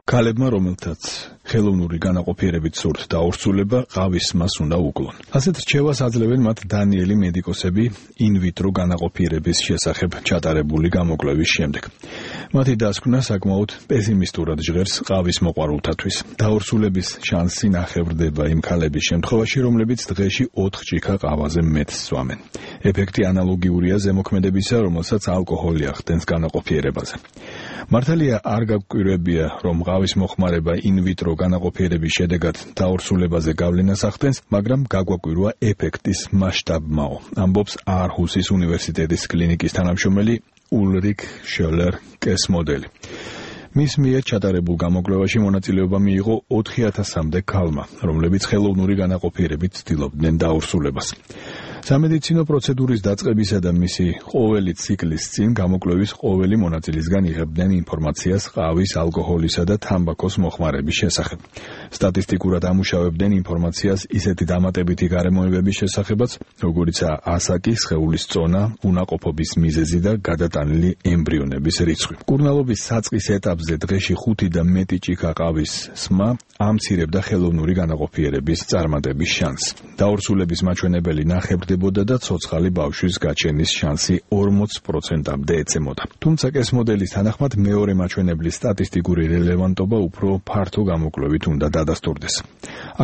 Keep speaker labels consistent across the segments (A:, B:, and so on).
A: ქალებმა, რომელთაც ხელოვნური განაყოფიერებით სურთ დაორსულება, ყავის მას უნდა უკლონ. ასეთ რჩევას აძლევენ მათ დანიელი მედიკოსები ინვიტრო განაყოფიერების შესახებ ჩატარებული გამოკვლევის შემდეგ. მათი დასკვნა საკმაოდ პესიმისტურად ჟღერს ყავის მოყვარულთათვის. დაორსულების შანსი ნახევრდება იმ ქალების შემთხვევაში, რომლებიც დღეში 4 ჭიქა ყავაზე მეტს სვამენ. ეფექტი ანალოგიურია ზემოქმედებისა, რომელსაც ალკოჰოლი ახდენს განაყოფიერებაზე. მართალია არ გაგვკვირვებია, რომ ყავის მოხმარება ინვიტრო განაყოფიერების შედეგად დაორსულებაზე გავლენას ახდენს, მაგრამ გაგვაკვირვა ეფექტის მასშტაბმაო, ამბობს აარჰუსის უნივერსიტეტის კლინიკის თანამშრომელი ულრიქ შელერ-კესმოდელი. მის მიერ ჩატარებულ გამოკვლევაში მონაწილეობა მიიღო 4000-მდე ქალმა, რომლებიც ხელოვნური განაყოფიერებით ცდილობდნენ დაორსულებას. სამედიცინო პროცედურის დაწყებისა და მისი ყოველი ციკლის წინ გამოკვლევის ყოველი მონაწილისგან იღებდნენ ინფორმაციას ყავის, ალკოჰოლისა და თამბაქოს მოხმარების შესახებ. სტატისტიკურად ამუშავებდნენ ინფორმაციას ისეთი დამატებითი გარემოებების შესახებაც, როგორიცაა ასაკი, სხეულის წონა, უნაყოფობის მიზეზი და გადატანილი ემბრიონების რიცხვი. მკურნალობის საწყის ეტაპზე დღეში 5 და მეტი ჭიქა ყავის სმა ამცირებდა ხელოვნური განაყოფიერების წარმატების შანსს. დაორსულების მაჩვენებელი ნახევრდებოდა და ცოცხალი ბავშვის გაჩენის შანსი 40%-მდე ეცემოდა. თუმცა კესმოდელის თანახმად მეორე მაჩვენებლის სტატისტიკური რელევანტობა უფრო ფართო გამოკვლევით უნდა დადასტურდეს.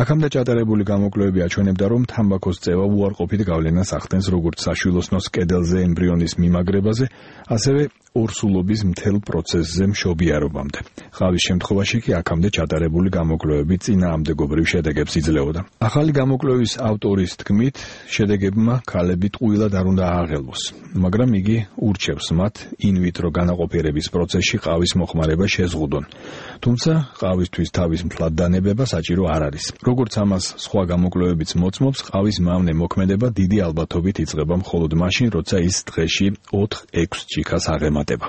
A: აქამდე ჩატარებული გამოკვლევები აჩვენებდა, რომ თამბაქოს წევა უარყოფით გავლენას ახდენს როგორც საშვილოსნოს კედელზე ემბრიონის მიმაგრებაზე, ასევე ორსულობის მთელ პროცესზე მშობიარობამდე. ყავის შემთხვევაში კი აქამდე ჩატარებული გამოკვლევები წინააღმდეგობრივ შედეგებს იძლეოდა. ახალი გამოკვლევის ავტორის თქმით, შედეგებმა ქალები ტყუილად არ უნდა ააღელვოს, მაგრამ იგი ურჩევს მათ ინვიტრო განაყოფიერების პროცესში ყავის მოხმარება შეზღუდონ. თუმცა ყავისთვის თავის მთლად დანებება საჭირო არ არის. როგორც ამას სხვა გამოკვლევებიც მოწმობს, ყავის მავნე მოქმედება დიდი ალბათობით იწყება მხოლოდ მაშინ, როცა ის დღეში 4-6 ჭიქას აღემატება.